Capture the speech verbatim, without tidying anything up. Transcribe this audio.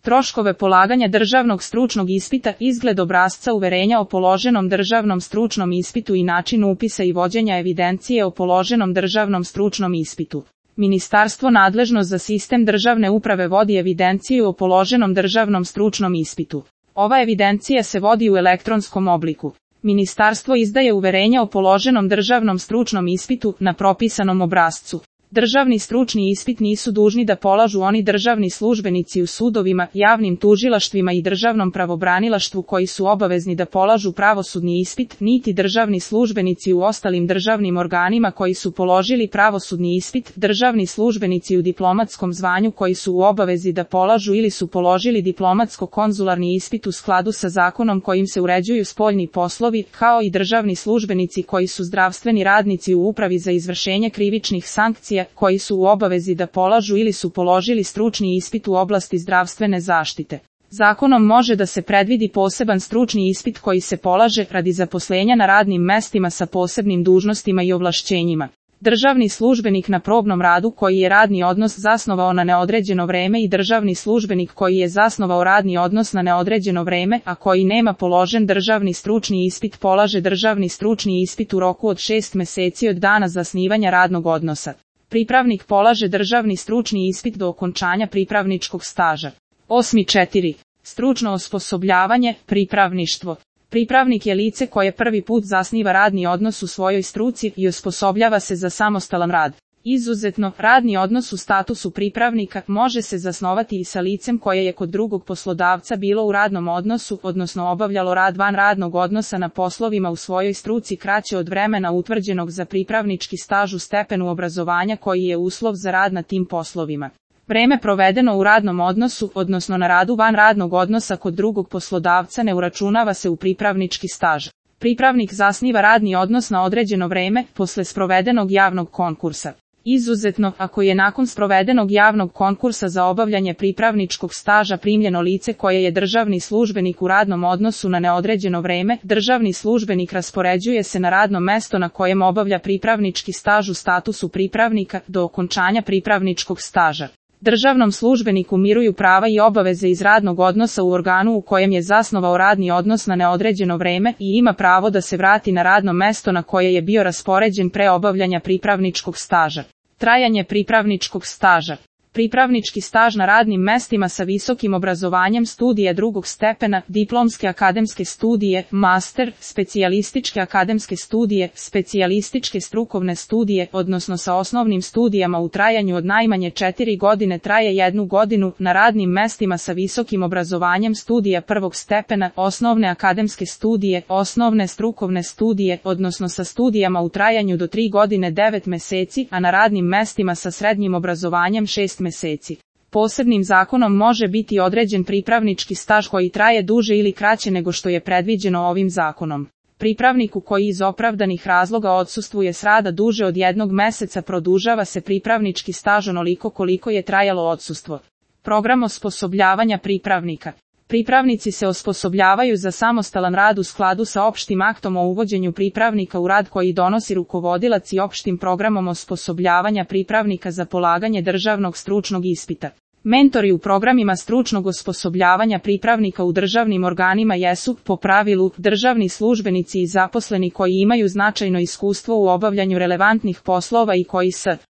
Troškove polaganja državnog stručnog ispita, izgled obrasca uverenja o položenom državnom stručnom ispitu i način upisa i vođenja evidencije o položenom državnom stručnom ispitu. Ministarstvo nadležno za sistem državne uprave vodi evidenciju o položenom državnom stručnom ispitu. Ova evidencija se vodi u elektronskom obliku. Ministarstvo izdaje uverenja o položenom državnom stručnom ispitu na propisanom obrascu. Državni stručni ispit nisu dužni da polažu oni državni službenici u sudovima, javnim tužilaštvima i državnom pravobranilaštvu koji su obavezni da polažu pravosudni ispit, niti državni službenici u ostalim državnim organima koji su položili pravosudni ispit, državni službenici u diplomatskom zvanju koji su u obavezi da polažu ili su položili diplomatsko-konzularni ispit u skladu sa zakonom kojim se uređuju spoljni poslovi, kao i državni službenici koji su zdravstveni radnici u upravi za izvršenje krivičnih sankcija, koji su u obavezi da polažu ili su položili stručni ispit u oblasti zdravstvene zaštite. Zakonom može da se predvidi poseban stručni ispit koji se polaže radi zaposlenja na radnim mestima sa posebnim dužnostima i ovlašćenjima. Državni službenik na probnom radu koji je radni odnos zasnovao na neodređeno vreme i državni službenik koji je zasnovao radni odnos na neodređeno vreme, a koji nema položen državni stručni ispit, polaže državni stručni ispit u roku od šest meseci od dana zasnivanja radnog odnosa. Pripravnik polaže državni stručni ispit do okončanja pripravničkog staža. osam četiri. Stručno osposobljavanje, pripravništvo. Pripravnik je lice koje prvi put zasniva radni odnos u svojoj struci i osposobljava se za samostalan rad. Izuzetno, radni odnos u statusu pripravnika može se zasnovati i sa licem koje je kod drugog poslodavca bilo u radnom odnosu, odnosno obavljalo rad van radnog odnosa na poslovima u svojoj struci kraće od vremena utvrđenog za pripravnički staž u stepenu obrazovanja koji je uslov za rad na tim poslovima. Vreme provedeno u radnom odnosu, odnosno na radu van radnog odnosa kod drugog poslodavca ne uračunava se u pripravnički staž. Pripravnik zasniva radni odnos na određeno vreme, posle sprovedenog javnog konkursa. Izuzetno, ako je nakon sprovedenog javnog konkursa za obavljanje pripravničkog staža primljeno lice koje je državni službenik u radnom odnosu na neodređeno vreme, državni službenik raspoređuje se na radno mesto na kojem obavlja pripravnički staž u statusu pripravnika do okončanja pripravničkog staža. Državnom službeniku miruju prava i obaveze iz radnog odnosa u organu u kojem je zasnovao radni odnos na neodređeno vreme i ima pravo da se vrati na radno mesto na koje je bio raspoređen pre obavljanja pripravničkog staža. Trajanje pripravničkog staža. Pripravnički staž na radnim mestima sa visokim obrazovanjem studija drugog stepena, diplomske akademske studije, master, specijalističke akademske studije, specijalističke strukovne studije, odnosno sa osnovnim studijama u trajanju od najmanje četiri godine traje jednu godinu, na radnim mestima sa visokim obrazovanjem studija prvog stepena, osnovne akademske studije, osnovne strukovne studije, odnosno sa studijama u trajanju do tri godine devet meseci, a na radnim mestima sa srednjim obrazovanjem šest meseci. Posebnim zakonom može biti određen pripravnički staž koji traje duže ili kraće nego što je predviđeno ovim zakonom. Pripravniku koji iz opravdanih razloga odsustvuje s rada duže od jednog meseca produžava se pripravnički staž onoliko koliko je trajalo odsustvo. Program osposobljavanja pripravnika. Pripravnici se osposobljavaju za samostalan rad u skladu sa opštim aktom o uvođenju pripravnika u rad koji donosi rukovodilac i opštim programom osposobljavanja pripravnika za polaganje državnog stručnog ispita. Mentori u programima stručnog osposobljavanja pripravnika u državnim organima jesu, po pravilu, državni službenici i zaposleni koji imaju značajno iskustvo u obavljanju relevantnih poslova i koji s